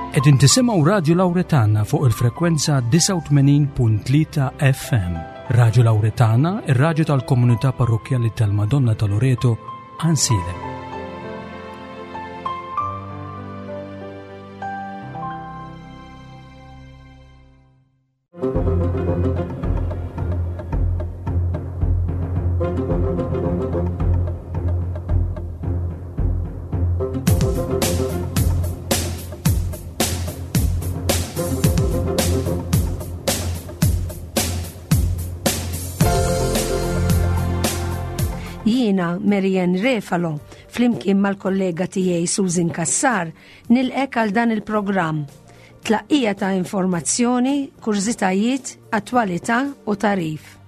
Qegħdin tisimgħu Radju Lawretana fuq il-frekwenza 89.3 FM. Radju Lawretana, ir-radju tal-komunità parrokkjali tal-Madonna ta' Loreto, Ansilem. Jiena Marianne Refalo, flimkien mal-kollega tiegħi Susan Cassar, nilqek għal dan il-programm. Tlaqqija ta' informazzjoni, kurżitajiet, attwalità u tagħrif.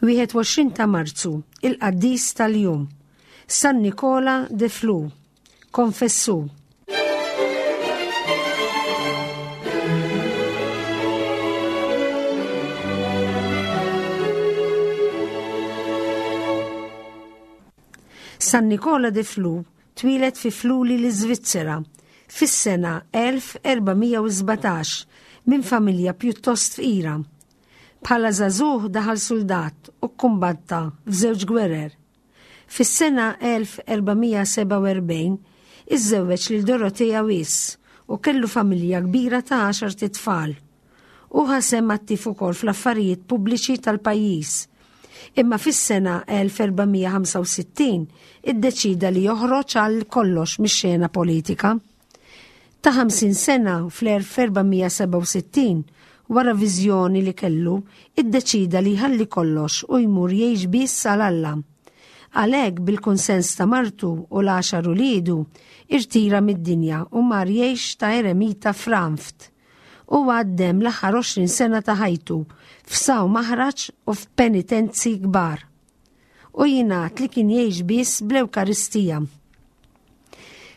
21 ta' Marzu, il-qaddis tal-jum, San Nikola de Flu, konfessu. San Nikola de Flu twieled fi Fluli l-Iżvizzera fis-sena 1417 minn familja pjuttost fqira. Bħala żagħżugħ daħal suldat u kkumbatta f'żewġ gwerer. Fis-sena 1447 iżżewweġ lil Dorothea Wyss u kellu familja kbira ta' għaxart itfal. Hu ħa sehem attiv ukoll fl-affarijiet pubbliċi tal-pajjiż. Imma fis-sena 1465 iddeċida li joħroġ għal kollox mix-xena politika. Ta' 50 sena fl-1467, wara viżjoni li kellu, iddeċida li jħalli kollox u jmur jgħix biss għal Alla. Għalhekk bil-kunsens ta' martu u l-għaxar uliedu, irtira mid-dinja u mar jgħix ta' eremita f'Ranft. Huwa għaddem l-aħħar 20 sena ta' ħajtu f'saw maħraġ u f'penitenzi kbar. U jingħad li kien jgħix biss bl-Ewkaristija.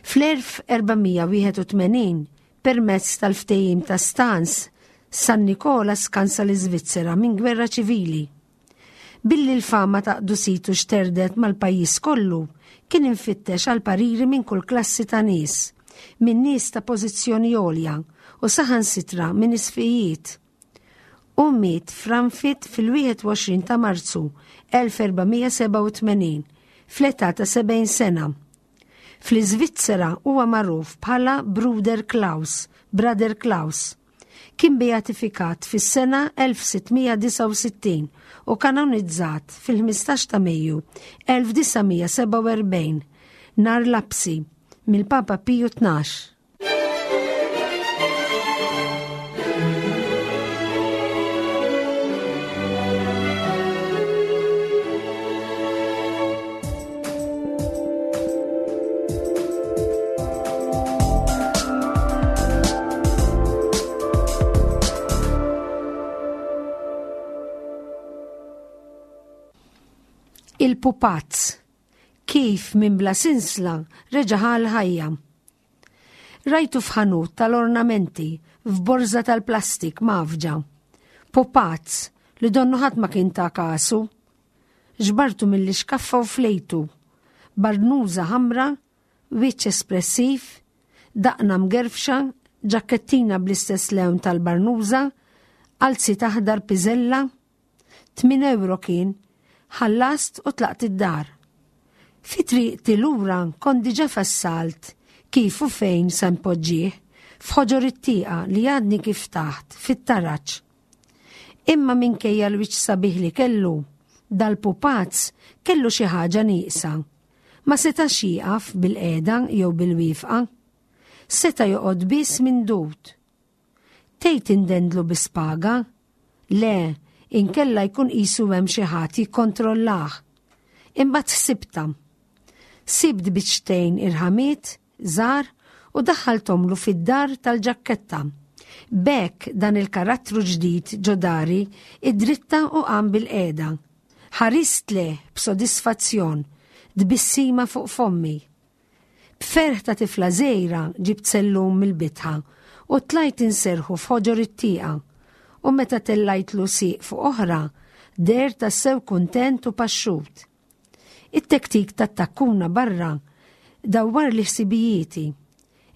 Fl-1481, permezz tal-ftehim ta' Stans, San Nikola skansa l-Iżvizzera minn gwerra ċivili. Billi l-fama ta' qdusitu xterdet mal-pajjiż kollu, kien imfittex għal pariri minn kull klassi ta' nies, minn nies ta' pożizzjoni għolja u saħansitra minn isfijiet. Hu miet f'Ranfit fil-21 ta' Marzu 1487, fl-età ta' 70 sena. Fl-Iżvizzera huwa magħruf bħala Bruder Klaus, Brother Klaus. Kien beatifikat fis-sena 1669 u kanonizzat fil-15 ta' Mejju 1947, nhar Lapsi, mill-Papa Piju 12. Il-pupazz kif minn bla sinsla reġa' ħa l-ħajja. Rajtu f'ħanut tal-ornamenti f'borża tal-plastik mgħaffġa. Pupazz li donnu ħadd ma kien ta kasu. Ġbartu mill-ixkaffa u flejtu. Barnuża ħamra, wiċċ espressiv, daqna mgerfxa, ġakkettina bl-istess lewn tal-barnuża, qalziet aħdar piżella. Tmin ewro kien, ħallast u tlaqt id-dar. Fi triqti lura kont diġà fassalt kif u fejn se npoġġih, f'ħoġor it-tieqa li għadni kif taħt, fit-taraġ. Imma minkejja l-wiċċ sabiħ li kellu, dal-pupazz kellu xi ħaġa nieqsa. Ma setax jieqaf bil-qiegħda jew bil-wieqfa. Seta' joqgħod biss mindud. Tgħid indendlu bi spaga? Le, inkella jkun qisu hemm xi ħadd jikkontrollah. Imbagħad ħsibtha. Sibt biċċtejn irħamiet żgħar u daħħalthomlu fid-dar tal-ġakketta. B'hekk dan il-karattru ġdid ġo dari id-dritta u qam bil-qiegħda. Ħarist lejh b'sodisfazzjon, tbissima fuq fommi. B'ferħ ta' tifla żgħira ġibt sellum mill-bitħa u tlajt inserrħu f'ħoġor it-tieqa. U meta tellajtlu sieq fuq oħra, deher tassew kuntent u paxxut. It-tektik tat-takkuna barra dawwarli ħsibijieti.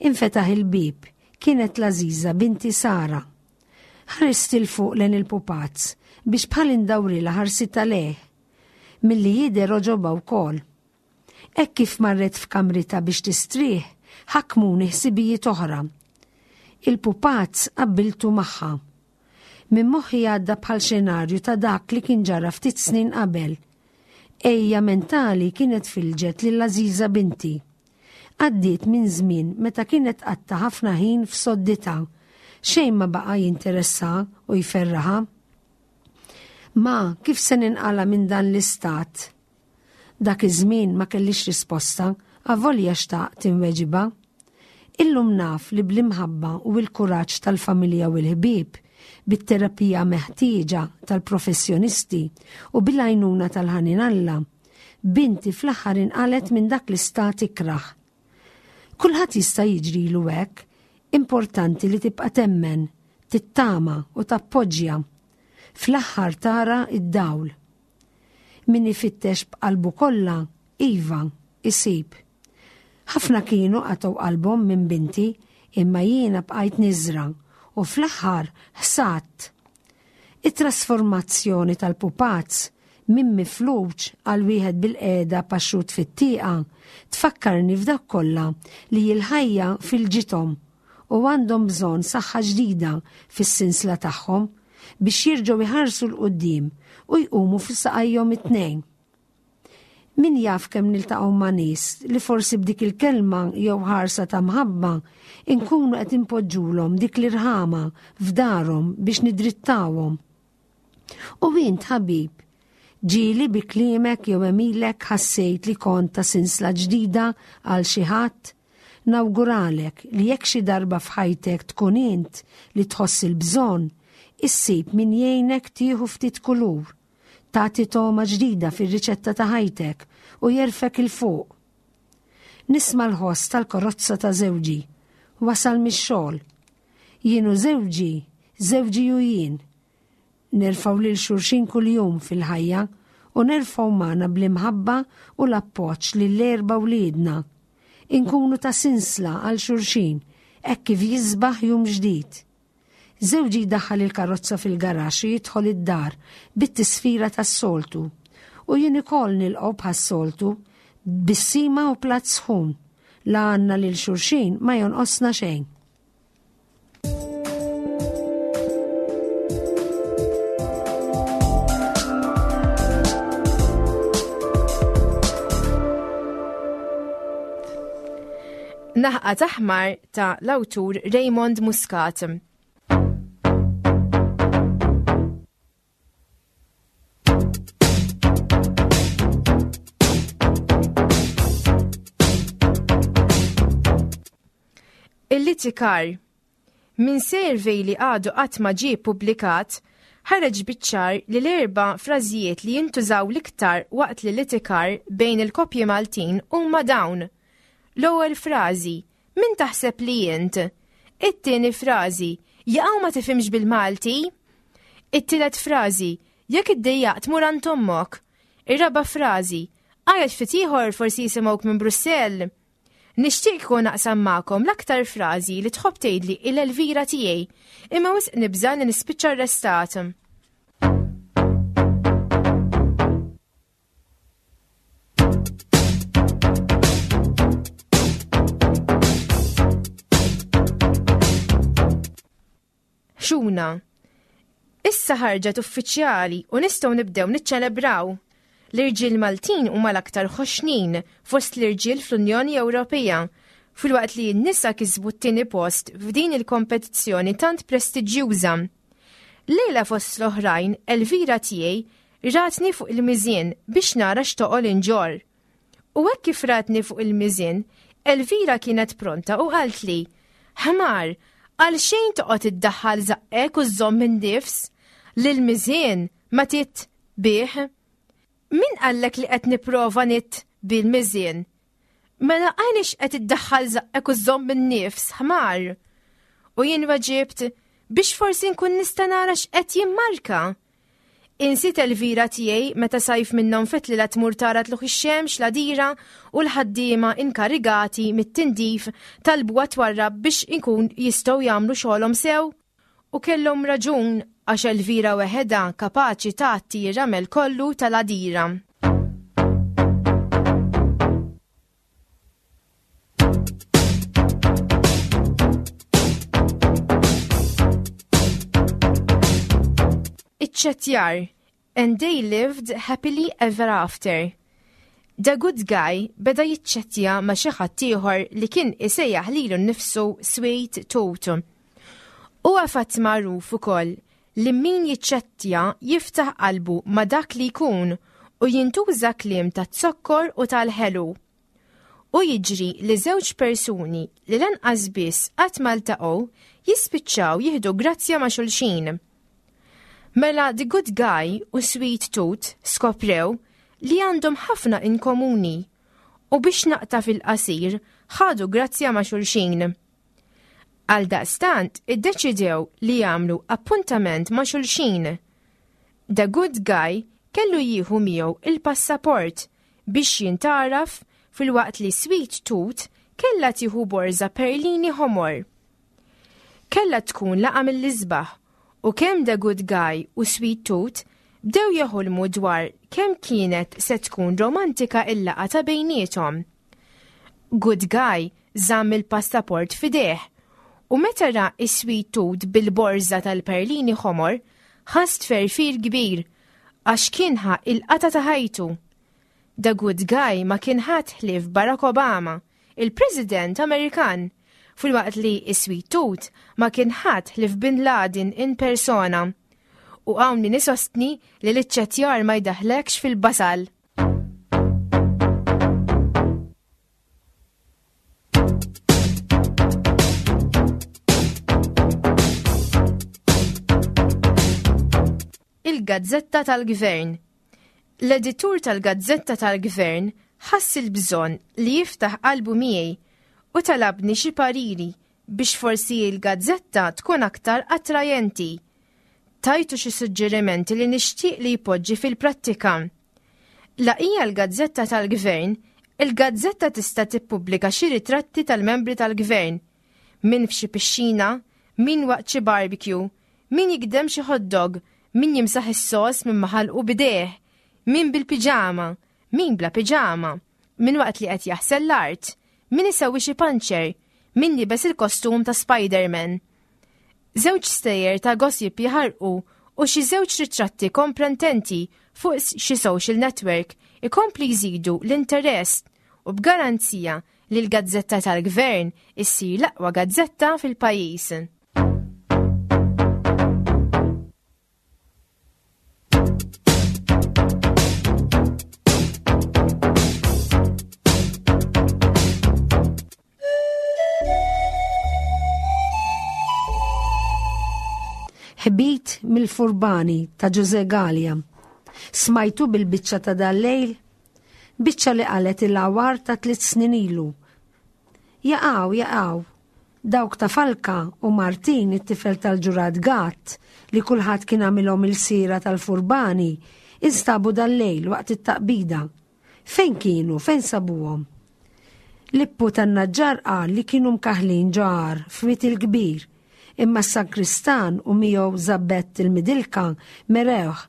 Infetaħ il-bieb, kienet l-għażiża binti Sara. Ħarist 'il fuq lejn il-pupazz biex bħal indawrilha ħarsitha lejh. Milli jidher għoġobha wkoll. Hekk kif marret f'kamritha biex tistrieħ, ħakmuni ħsibijiet oħra. Il-pupazz qabbiltu magħha. Minn moħħi għadda bħal xenarju ta' dak li kien ġara ftit snin qabel. Ejja mentali kienet filġet lil għażiża binti. Għaddiet minn żmien meta kienet tqatta' ħafna ħin f'sodditha. Xejn ma baqa' jinteressaha u jferraħha. Ma, kif se ninqala' minn dan l-istat? Dak iż-żmien ma kellix risposta, avolja xtaqt inweġibha. Illum naf li bl-imħabba u l-kuraġġ tal-familja u l-ħbieb, bit-terapija meħtieġa tal-professjonisti u bil-għajnuna tal-ħanin Alla, binti fl-aħħar inqalgħet minn dak l-istat ikrah. Kulħadd jista' jiġrilu hekk, importanti li tibqa' temmen, tittama u tappoġġja. Fl-aħħar tara d-dawl. Min ifittex b'qalbu kollha, iva, isib. Ħafna kienu qatgħu qalbhom minn binti, imma jiena bqajt niżra' u fl-aħħar ħsadt. It-trasformazzjoni tal-pupazz minn mifluġ għal wieħed bilqiegħda paxxut fit-tieqa tfakkarni f'dawk kollha li l-ħajja filġithom u għandhom bżonn saħħa ġdida fis-sinsla tagħhom biex jerġgħu jħarsu 'l quddiem u jqumu fuq saqajhom it-tnejn. Min jaf kemm niltaqgħu ma' nies li forsi b'dik il-kelma jew ħarsa ta' mħabba inkunu qed inpoġġulhom dik l-irħama f'darhom biex nidrittawhom. U int ħabib, ġieli bi kliemek jew għemilek ħassejt li kont ta' sinsla ġdida għal xi ħadd? Nawguralek li jekk xi darba f'ħajtek tkun int li tħoss il-bżonn, issib min jgħinek tieħu ftit kulur, tagħti togħma ġdida fir-riċetta ta' ħajtek u jerfgħek 'il fuq. Nisma' l-ħoss tal-karozza ta' żewġi. Wasal mix-xogħol. Jien u żewġi, żewġi u jien. Nerfgħu lil xulxin kuljum fil-ħajja u nerfgħu magħna bl-imħabba u l-appoġġ lill-erba' wliedna. Inkunu ta' sinsla għal xulxin hekk kif jisbaħ jum ġdid. Żewġi jdaħħal il-karozza fil-garaxx u jidħol id-dar bit-tisfira tas-soltu. U jien ukoll nilqgħu bħas-soltu, tbissima u platt sħun. La għandna lil xulxin ma jonqosna xejn. Naħqa taħmar ta' l-awtur Raymond Muscat. Il-litikar Minn survey li għadu qatt ma ġie ppubblikat, ħareġ biċ-ċar li l-erba' frażijiet li jintużaw l-iktar waqt l-litikar bejn il-koppji Maltin huma dawn. L-ewwel frażi, Min taħseb li int? It-tieni frażi, Jaqaw ma tifhimx bil-Malti? It-tielet frażi, Jekk iddejjaqt mur għand ommok. Ir-raba' frażi, Għajat ftit ieħor forsi jisimgħuk minn Brussell. Nixtieq kieku naqsam magħkom l-aktar frażi li tħobb tgħidli il-Elvira tiegħi, imma wisq nibża' li nispiċċa arrestat. Xuna. Issa ħarġet uffiċjali u nistgħu nibdew niċċelebraw. L-irġiel Maltin huma l-aktar ħoxnin fost l-irġiel fl-Unjoni Ewropea, filwaqt li n-nisa kisbu t-tieni post f'din il-kompetizzjoni tant prestiġjuża. Lejla fost l-oħrajn, Elvira tiegħi ratni fuq il-miżien biex nara x'toqol inġorr. U hekk kif ratni fuq il-miżien, Elvira kienet pronta u qaltli, Ħmar, għal xejn toqgħod iddaħħal żaqqek u żżomm in-nifs, lil miżien ma tit bih. Min qallek li qed nipprova nit bil-miżien? Mela għaliex qed iddaħħal żaqqek u żżomm in-nifs, ħmar? U jien weġibt biex forsi nkun nista' nara x'qed jimmarka. Insiet Elvira tiegħi meta sajf minnhom fetlilha tmur tara tlugħ ix-xemx l-għadira u l-ħaddiema inkarigati mit-tindif talbuha twarrab biex ikun jistgħu jagħmlu xogħolhom sew? U kellhom raġun għax Elvira weħedha kapaċi tgħatti r-ramel kollu tal-għadira. Iċ-ċettjar And they lived happily ever after. The good guy beda jiċċettja ma' xi ħadd ieħor li kien isejjaħ lilu nnifsu Sweet Tooth. Huwa fatt magħruf ukoll li min jiċċettja jiftaħ qalbu ma' dak li jkun u jintuża kliem taz-zokkor u tal-ħelu. U jiġri li żewġ persuni li lanqas biss qatt ma ltaqgħu jispiċċaw jieħdu grazzja ma' xulxin. Mela The Good Guy u Sweet Tooth skoprew li għandhom ħafna in komuni u biex naqta' fil-qasir ħadu grazzja ma' xulxin. Għaldaqstant iddeċidew li jagħmlu appuntament ma' xulxin. The Good Guy kellu jieħu miegħu il-passaport biex jintgħaraf filwaqt li Sweet Tooth kellha tieħu borża perlini ħomor. Kellha tkun laqgħa mill-isbaħ u kemm The Good Guy u Sweet Tooth bdew jeħolmu dwar kemm kienet se tkun romantika il-laqgħa ta' bejniethom. Good Guy żamm il-passaport f'idejh u meta ra is-Sweet Tooth bil-borża tal-perlini ħomor ħass tferfir kbir għax kien ħa il-qata ta' ħajtu. The Good Guy ma kien ħadd ħlief Barack Obama, il-President Amerikan, filwaqt li is-Sweet Tooth ma kien ħadd ħlief Bin Laden in persona. U hawn min isostni li l-iċċettjar ma jdaħħlekx fil-basal. Il-Gazzetta tal-Gvern L-editur tal-Gazzetta tal-Gvern ħass il-bżonn li jiftaħ qalbu miegħi u talabni xi pariri biex forsi l-gazzetta tkun aktar attrajenti. Tajtu xi suġġerimenti li nixtieq li jpoġġi fil-prattika. La hija l-gazzetta tal-gvern, il-gazzetta tista' tippubblika xi ritratti tal-membri tal-gvern, min f'xi pixxina, min waqt xi barbecue, min jigdem xi hot dog, min jimsaħ is-sos minn ma ħalqu b'idejh, min bil-piġama, min bla piġama, min waqt li qed jaħsel l-art, min isewwi xi panċer, min libes il-kostum ta' Spider-Man. Żewġ stejjer ta' gossip jaħarqu u xi żewġ ritratti komprententi fuq xi social network ikompli jżidu l-interess u b'garanzija li l-gazzetta tal-gvern issir l-aqwa gazzetta fil-pajjiż. Ħbit mill-Furbani ta' Ġuże Galea. Smajtu bil-biċċa ta' dal-lejl? Biċċa li qalet il-għawar ta' tliet snin ilu. Jaqaw, jaqaw. Dawk ta' Falka u Martin it-tifel tal-ġurat Gatt li kulħadd kien għamilhom il-sira tal-Furbani instabu dal-lejl waqt it-taqbida. Fejn kienu? Fejn sabuhom? Lippu tan-Naġġar qal li kienu mkaħħlin ġo għar f'Wied il-Kbir, imma s-sankristan u miegħu Żabbett il-Midilka merewh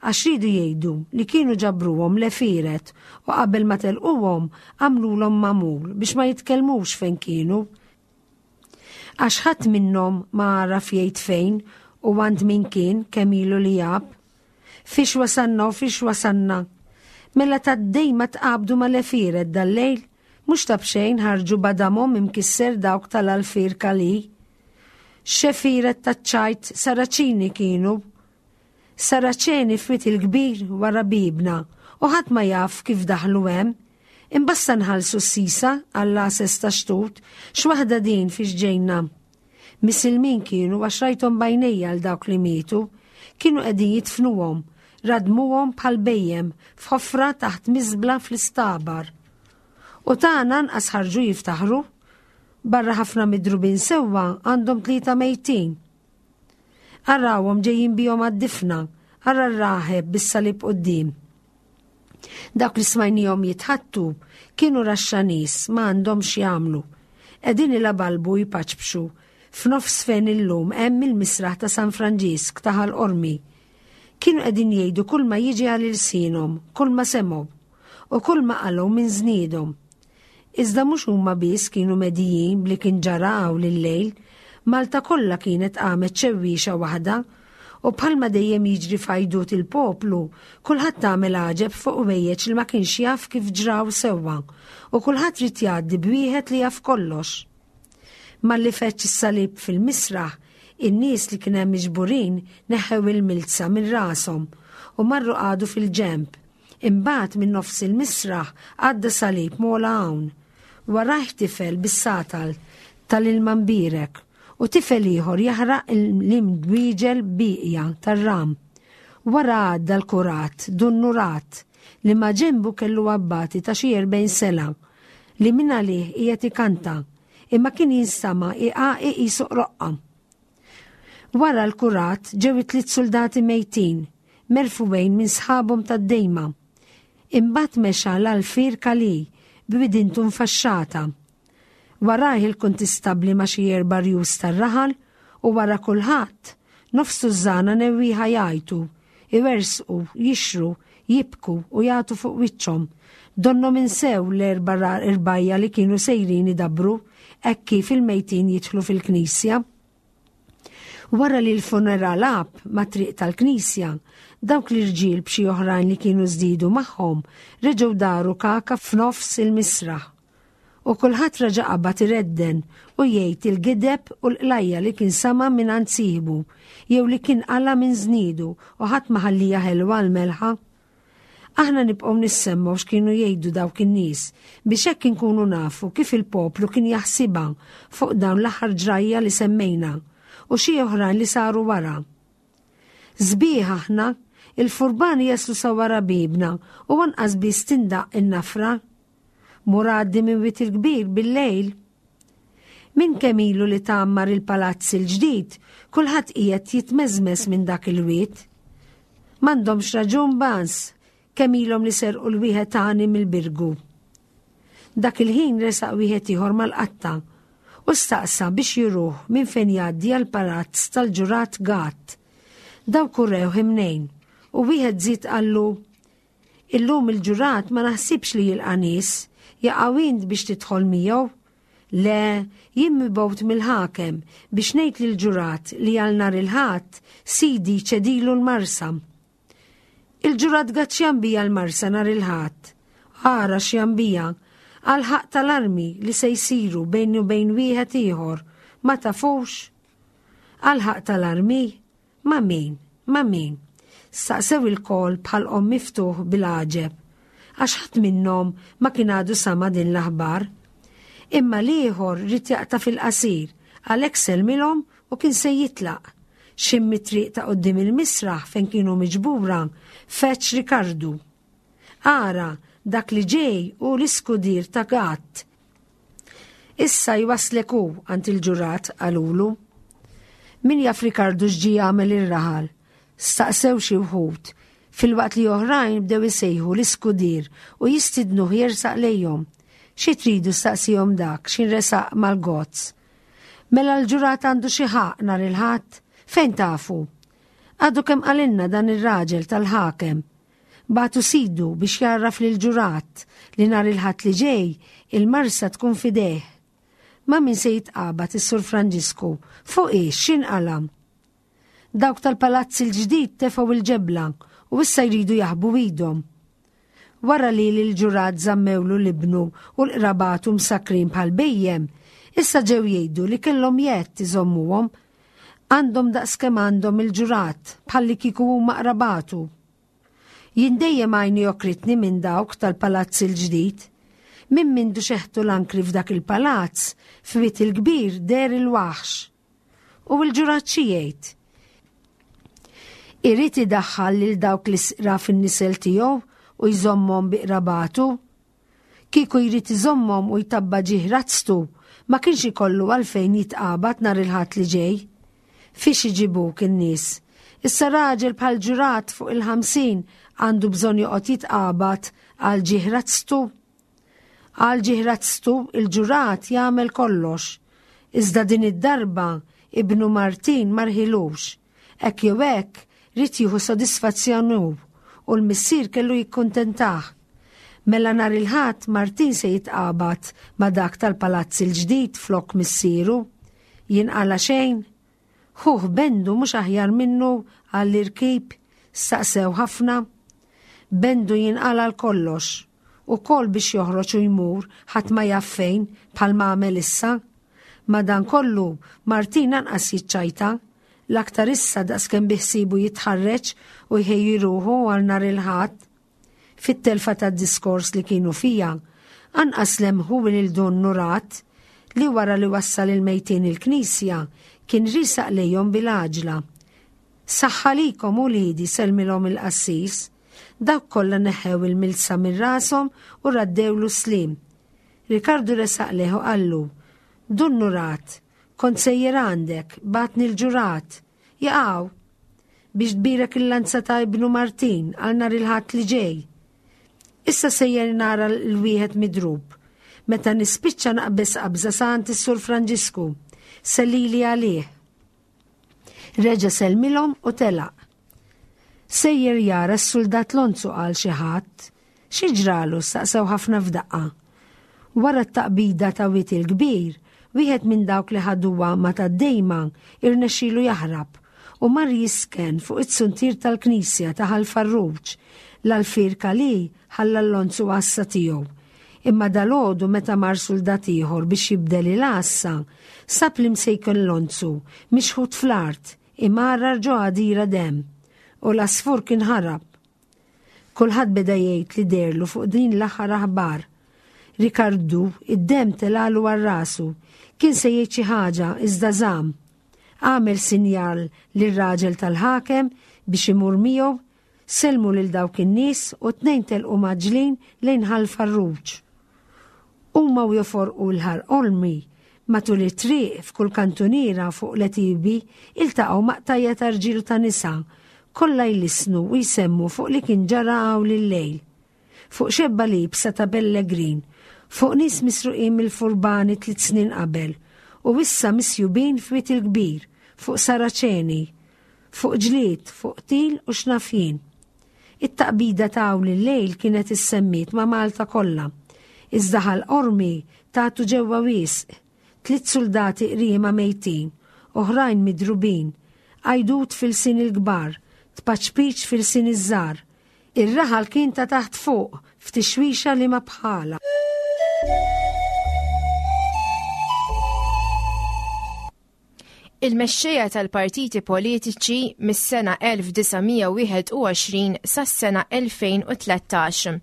għax riedu jgħidu li kienu ġabruhom l-għefieret u qabel ma telquhom għamlulhom magħmul biex ma jitkellmux fejn kienu. Għax ħadd minnhom ma għaraf jgħid fejn u għand min kien kemm ilu li għab. Fiex wasalna u fiex wasalna? Mela tad-dejma tqabdu mal-għefieret dal-lejl? Mhux ta' b'xejn ħarġu b'għadamhom imkisser dawk tal-Alfir Calì. X'għefieret taċ-ċajt Saraċini kienu! Saraċeni f'Wied il-Kbir wara biebna u ħadd ma jaf kif daħlu hemm. Imbasta nħallsu s-sisa għall-għases ta' xtut, x'waħda din fiex ġejna. Misilmin kienu għax rajthom b'għajnejja għal dawk li mietu, kienu qegħdin jidfnuhom, radmuhom bħal bhejjem f'ħofra taħt miżbla fl-istabar. U tagħna anqas ħarġu jiftaħru. Barra ħafna midrubin sewwa għandhom tlieta mejtin. Arawhom ġejjin bihom għad-difna, ara r-raħeb bis-salib quddiem. Dawk li smajnihom jitħattu kienu raxxa nies ma għandhom x'jagħmlu. Qegħdin ilabalbu jpaċpxu f'nofs fejn illum hemm il-misraħ ta' San Franġisk ta' Ħal Qormi. Kienu qegħdin jgħidu kull ma jiġi għal ilsienhom, kull ma semgħu u kull ma qalgħu minn żniedhom. Iżda mhux huma biss kienu medijin b'li kien ġara hawn illejl, Malta kollha kienet qamet xewwiexa waħda, u bħalma dejjem jiġri f'għajdut il-poplu, kulħadd għamel għaġeb fuq ħwejjeġ li ma kienx jaf kif ġraw sewwa, u kulħadd ried jgħaddi b'wieħed li jaf kollox. Malli feġġ is-salib fil-misraħ, in-nies li kien hemm miġburin neħħew il-milza minn rashom u marru qagħdu fil-ġenb. Imbagħad minn nofs il-misraħ għadda salib m'ogħla hawn. Warajh tifel bis-satal tal-ilma mbierek u tifel ieħor jaħraq l-imdwieġel bieqja tar-ram. Wara għadda l-kurat, Dun Nurat, li maġenbu kellu abbati ta' xi 40 sena li minn għalih qiegħed ikanta, imma kien jinstama' iqaqi qisu qroqqa. Wara l-kurat ġew it-tliet suldati mejtin, merfugħin minn sħabhom tad-dejma. Imbagħad mexa l-Alfier Calì b'widintu mfaxxata. Warajh il-kuntistabbli ma' xi erba' rjus tar-raħal u wara kulħadd, nofs tużżana newwieħa jgħajtu, iwerżqu, jixhru, jibku u jagħtu fuq wiċċhom. Donnhom insew l-erba' irbajja li kienu sejrin idabbru hekk kif il-mejtin jidħlu fil-knisja. Wara li l-funeral għab mat-triq tal-knisja, dawk l-irġiel b'xi oħrajn li kienu żdiedu magħhom reġgħu daru kaka f'nofs il-misraħ. U kulħadd reġa' qabad iredden u jgħid il-gideb u l-qlajja li kien sama' mingħand sieħbu jew li kien qala' minn żniedu u ħadd ma ħallija ħelwa l-melħa. Aħna nibqgħu nissemmgħu x'kienu jgħidu dawk in-nies biex hekk inkunu nafu kif il-poplu kien jaħsibha fuq dawn l-aħħar ġrajja li semmejna u xi oħrajn li saru wara. Sbieħ aħna, il-furbani jaslu sa wara biebna u anqas biss tindaqq in-nafra. Mur għaddi minn Wied il-Kbir bil-lejl. Minn kemm ilu li tgħammar il-palazz il-ġdid, kulħadd qiegħed jitmeżmeż minn dak il-wied. M'għandhomx raġun Bans, kemm ilhom li serqu l-wieħed għani mill-Birgu. Dak il-ħin resaq wieħed ieħor mal-qatta u staqsa biex juruh minn fejn jgħaddi għall-palazz tal-ġurat Gatt. Dawk urewh imnejn u wieħed żied qallu Illum il-ġurat ma naħsibx li jilqa' nies, jaqaw int biex tidħol miegħu? Le, jien mibgħut mill-ħakem biex ngħid lill-ġurat li għal nhar il-Ħadd sidi jċedilu l-marsa. Il-ġurat Gatt x'jambija l-marsa nhar il-Ħadd? Ara x'jambija, għall-ħaqq tal-armi li se jsiru bejni u bejn wieħed ieħor, ma tafux? Għall-ħaqq tal-armi? Ma' min? Ma' min? Staqsew ilkoll b'ħalqhom miftuħ bil-għaġeb, għax ħadd minnhom ma kien għadu sama' din l-aħbar. Imma l-ieħor ried jaqta' fil-qasir, għalhekk sellmilhom u kien se jitlaq. X'ħin mit-triq ta' quddiem il-misraħ fejn kienu miġbura, feġġ Rikardu. Ara, dak li ġej hu l-iskudier ta' Gatt. Issa jwasslek hu għand il-ġurat, qalulu. Min jaf Rikardu x'ġie jagħmel ir-raħal? Staqsew xi wħud, filwaqt li oħrajn bdew isejħu l-iskudier u jistidnuh jersaq lejhom. Xi tridu staqsihom dak x'in resaq mal-gozz. Mela l-ġurat għandu xi ħaqq nhar il-Ħadd? Fejn tafu? Għadu kemm qalilna dan ir-raġel tal-ħakem. Bagħtu sidu biex jgħarraf lill-ġurat li nhar il-Ħadd li ġej il-marsa tkun f'idejh. Ma' min se jitqabad is-Sur Franġisku? Fuq ix x'inqala'? Dawk tal-palazz il-ġdid tefgħu il-ġebla u issa jridu jaħbu idhom. Wara li lill-ġurat żammewlu l-ibnu u l-qrabatu msakkrin bħal bhejjem, issa ġew jgħidu li kellhom jedd iżommuhom. Għandhom daqskemm għandhom il-ġurat, bħallikieku huma qrabatu. Jien dejjem għajni okritni minn dawk tal-palazz il-ġdid. Minn mindu xeħtu l-ankri f'dak il-palazz, f'Wied il-Kbir deher il-waħx. U l-ġurat xi jgħid? Irid idaħħal lil dawk l-isqra fin-nisel tiegħu u jżommhom bi qrabatu? Kieku jrid iżommhom u jtabba' ġieħ razztu, ma kienx ikollu għalfejn jitqabad nhar il-Ħadd li ġej. Fiex iġibuk in-nies? Issa raġel bħal ġurat fuq il-50 għandu bżonn joqgħod jitqabad għal ġieħ razztu? Għal ġieħ razztu il-ġurat jagħmel kollox. Iżda din id-darba ibnu Martin ma rħilux. Hekk jew hekk ried jieħu sodisfazzjon hu u l-missier kellu jikkuntentah. Mela nhar il-Ħadd Martin se jitqabad ma' dak tal-palazz il-ġdid flok missieru. Jinqala' xejn? Ħuh Bendu mhux aħjar minnu għall-irkib? Staqsew ħafna. Bendu jinqala' għal kollox. Ukoll biex joħroġ u jmur ħadd ma jaf fejn bħalma għamel issa. Madankollu, Martin anqas jiċċajta. L-aktar issa daqskemm biħsiebu jitħarreġ u jħejji ruħu għal nhar il-Ħadd. Fit-telfa tad-diskors li kienu fiha, anqas lemħu lil Dun Nurat li wara li wassal il-mejtin il-knisja kien riesaq lejhom bil-għaġla. Saħħa likom uliedi sellmilhom il-qassis. Dawk kollha neħħew il-milsa minn rashom u raddewlu s-sliem. Rikardu resaq lejh u qallu, Dun Nurat, kont sejjer għandek, bagħatni l-ġurat. Jaqaw! Biex tbierek il-lanza ta' ibnu Martin għal nhar il-Ħadd li ġej. Issa sejjer nara l-wieħed midrub. Meta nispiċċa naqbeż qabża sa għand is-Sur Franġisku. Sellili għalih. Reġa' sellmilhom u telaq. Sejjer jara s-suldat Lonzu qal xi ħadd. Xi ġralu staqsew ħafna f'daqqa. Wara t-taqbida ta' Wied il-Kbir, wieħed minn dawk li ħaduha ma' tad-Dejma irnexxielu jaħrab u mar jisken fuq it-suntier tal-knisja ta' Ħal Farruġ, l-alfier Calì ħalla l-Lonzu għassa tiegħu. Imma dalgħodu meta mar suldat ieħor biex jibdel il-għassa, sab l-imsejken Lonzu mixħut fl-art, Imgħarrar ġo għadira demm, u l-għasfur kien ħarab. Kulħadd beda jgħid li deherlu fuq din l-aħħar aħbar. Rikardu, id-demm telgħalu għal rasu. Kien se jgħid xi ħaġa iżda żamm. Għamel sinjal lir-raġel tal-ħakem biex imur miegħu, sellmu lil dawk in-nies u t-tnejn telqu mgħaġġlin lejn Ħal Farruġ. Huma u joforqu l-Ħar Olmi, matul it-triq f'kull kantuniera fuq l-għetiebi iltaqgħu ma' qtajja ta' rġiel u ta' nisa, kollha jlissnu u jsemmu fuq li kien ġara hawn il-lejl. Fuq xebba liebsa ta' bellegrin, fuq nies misruqin mill-furbani tliet snin qabel u issa misjubin f'Wied il-Kbir, fuq Saraċeni, fuq ġlied, fuq qtil u x'naf jien. It-taqbida ta' hawn il-lejl kienet issemmiet ma' Malta kollha. Iżda Ħal Qormi tagħtu ġewwa wisq. Tliet suldati qriema mejtin, oħrajn midrubin, għajdut f'ilsien il-kbar, tpaċpiċ f'ilsien iż-żgħar. Ir-raħal kien ta' taħt fuq, f'tixwixa li ma bħalha. Il-mexxejja tal-partiti politiċi mis-sena 1921 sas-sena 2013.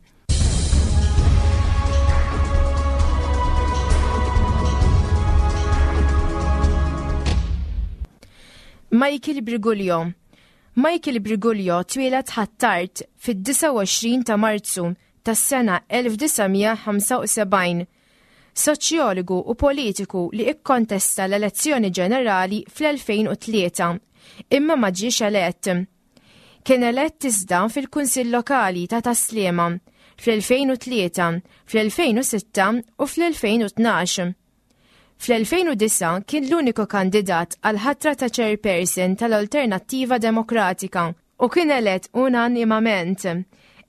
Michael Briguglio Michael Briguglio twieled Ħ'Attard fid-29 ta' Marzu tas-sena 1975 soċjologu u politiku li kkontesta l-elezzjoni ġenerali fl-2003, imma ma ġiex elett. Kien elett iżda fil-Kunsill Lokali ta' Tas-Sliema fl-2003, fl-2006 u fl-2012. Fl-2009 kien l-uniku kandidat għall-ħatra ta' chairperson tal-Alternattiva Demokratika u kien elett unanimament.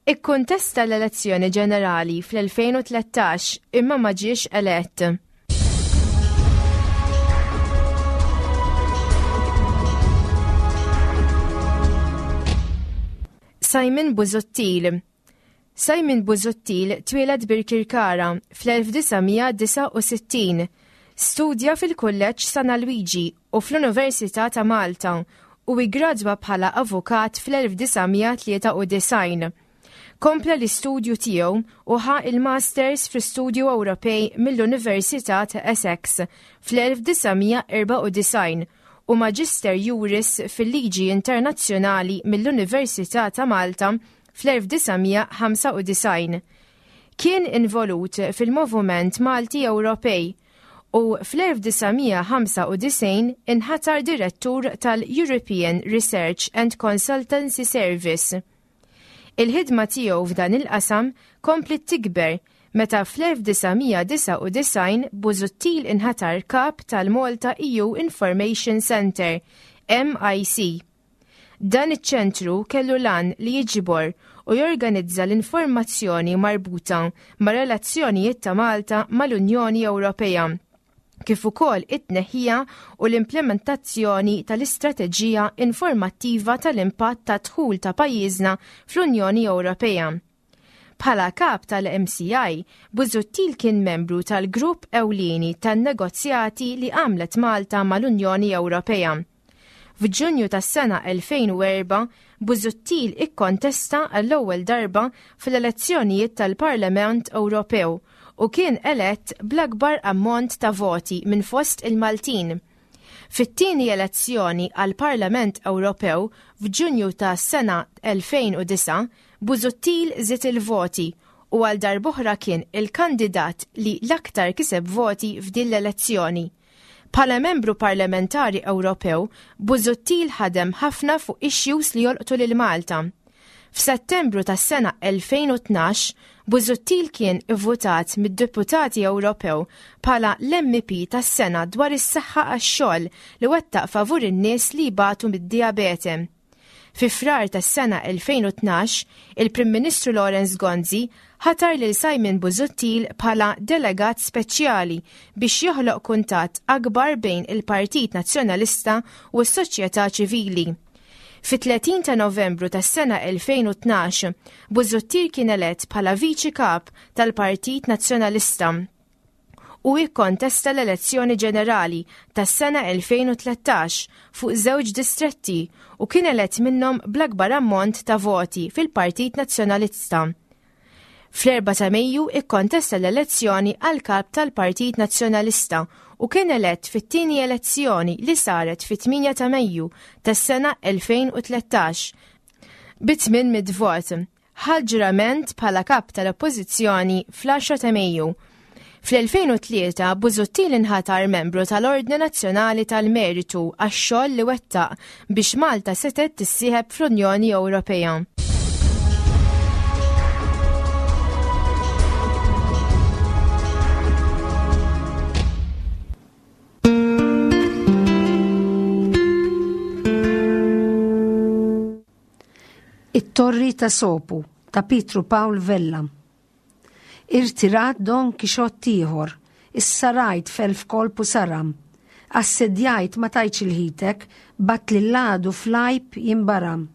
Ikkuntesta l-elezzjoni ġenerali fl-2013 imma ma ġiex elett. Simon Busuttil Simon Busuttil twieled Birkirkara fl-1969. Studja fil-Kulleġġ San Alwiġi u fl-Università ta' Malta u iggradwa bħala avukat fl-1993. Kompla l-istudju tiegħu u ħa il-Masters fl-Istudju Ewropej mill-Università ta' Essex fl-1994 u Magister Juris fil-Liġi Internazzjonali mill-Università ta' Malta fl-1995. Kien involut fil-Movument Malti Ewropej u fl-1995 inħatar direttur tal-European Research and Consultancy Service. Il-ħidma tiegħu f'dan il-qasam kompliet tikber meta fl-1999 Busuttil inħatar kap tal-Malta EU Information Centre, MIC. Dan iċ-ċentru kellu l-għan li jiġbor u jorganizza l-informazzjoni marbuta mar-relazzjonijiet ta' Malta mal-Unjoni Ewropea, kif ukoll it-tneħħija u l-implementazzjoni tal-istrateġija informattiva tal-impatt tad-dħul ta' pajjiżna fl-Unjoni Ewropea. Bħala kap tal-MCI, Busuttil kien membru tal-grupp ewlieni tan-negozjati li għamlet Malta mal-Unjoni Ewropea. F'Ġunju tas-sena 2004, Busuttil ikkontesta għall-ewwel darba fl-elezzjonijiet tal-Parlament Ewropew u kien elett bl-akbar ammont ta' voti minn fost il-Maltin. Fit-tieni elezzjoni għall-Parlament Ewropew f'Ġunju tas-sena 2009, Busuttil żied il-voti u għal darb'oħra kien il-kandidat li l-aktar kiseb voti f'din l-elezzjoni. Bħala membru parlamentari Ewropew, Busuttil ħadem ħafna fuq issues li jolqtu lil Malta. F'Settembru tas-sena 2012, Busuttil kien ivvutat mid-Deputati Ewropew bħala l-MEP tas-sena dwar is-saħħa għax-xogħol li wettaq favur in-nies li jbatu mid-dijabete. Fi Frar tas-sena 2012, il-Prim Ministru Lawrence Gonzi ħatar lil Simon Busuttil bħala delegat speċjali biex joħloq kuntatt akbar bejn il-Partit Nazzjonalista u s-soċjetà ċivili. Fit-30 ta' Novembru tas-sena 2012, Busuttil kien elett bħala Viċi Kap tal-Partit Nazzjonalista. u ikkontesta l-elezzjoni ġenerali tas-sena 2013 fuq żewġ distretti u kien elett minnhom bl-akbar ammont ta' voti fil-Partit Nazzjonalista. Fl-4 ta' Mejju ikkontesta l-elezzjoni għal kap tal-Partit Nazzjonalista u kien elett fit-tieni elezzjoni li saret fit-8 ta' Mejju tas-sena 2013 bi 800 vot. ħa l-ġurament bħala kap tal-Oppożizzjoni fl-10 ta' Mejju. Fl-2003 Busuttil inħatar membru tal-Ordni Nazzjonali tal-Meritu għax-xogħol li wettaq biex Malta setgħet tissieħeb fl-Unjoni Ewropea. It-Torri ta' Sopu ta' Pietru Pawl Vella. Irtirat Don Kixott ieħor, issa rajt f'elf kolp u saram. Assedjajt ma tajtx il-ħitek, bgħatt lill-għadu fl-għajb jinbaram.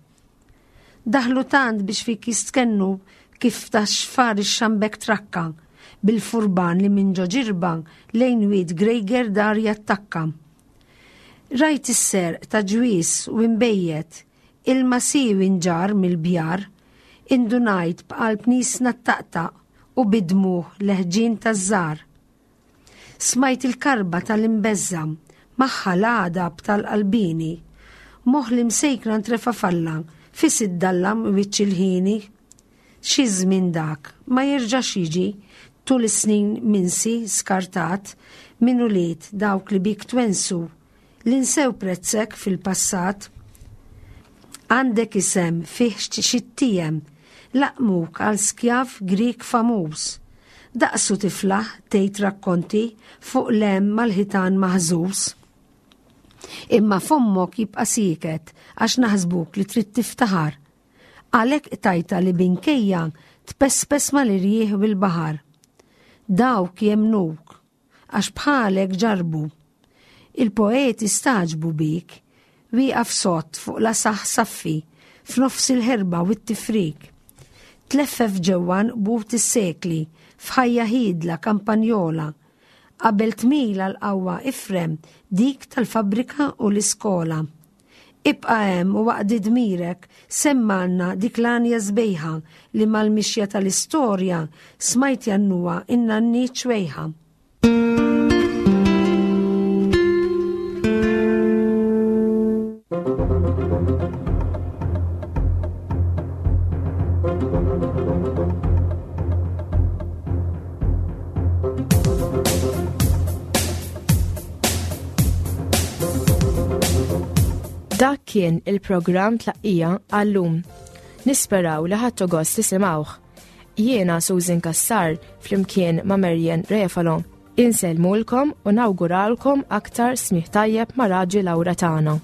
Daħlu tant biex fik jistkennu kif ta' xfar ix-xambek trakka, bil-furban li minn ġo ġirba lejn wied Grejger dar jattakka. Rajt is-serq ta' ġwież u inbejjet, ilma siewi nġarr mill-bjar, indunajt b'qalb niesna ttaqtaq u bid-dmugħ l-ħġien taż-żgħar. Smajt il-karba tal-imbeżża' magħha l-għadab tal-qalbieni, moħħ l-imsejkna ntrefa' falla fis iddallam wiċċ il-ħieni. Xi żmien dak, ma jerġax jiġi, tul is-snin minsi, skartat, minn ulied dawk li bik twennsu, li nsew prezzek fil-passat. Għandek isem fih xi ttiem, laqqmuk għal skjav Grieg famuż. Daqsu tiflaħ tgħid rakkonti fuq l-hemm mal-ħitan maħżuż. Imma fommok jibqa' sieket għax naħsbuk li trid tiftaħar. Għalhekk qtajtha li binkejja tpespes mal-irjieħ u l-baħar. Dawk jemmnuk, għax bħalek ġarrbu. Il-poeti stagħġbu bik, wieqaf sod fuq l-asaħ saffi, f'nofs il-ħerba u t-tifrik. Tleffef ġewwa nqbut is-sekli, f'ħajja ħiedla kampanjola. Qabel tmil għall-qawwa ifrem dik tal-fabbrika u l-iskola. Ibqa' hemm u aqdi dmirek, semmgħalna dik l-għanja sbejħa li mal-mixja tal-istorja smajt jgħannuha n-nanniet xwejħa. Dak kien il-programm tlaqqija għallum. Nisperaw li ħadtu gost tisimgħuh. Jiena Susan Kassar flimkien ma' Marian Refalo. Insellmulkom u nawguralkom aktar smih tajjeb ma' Raġi Laura tagħna.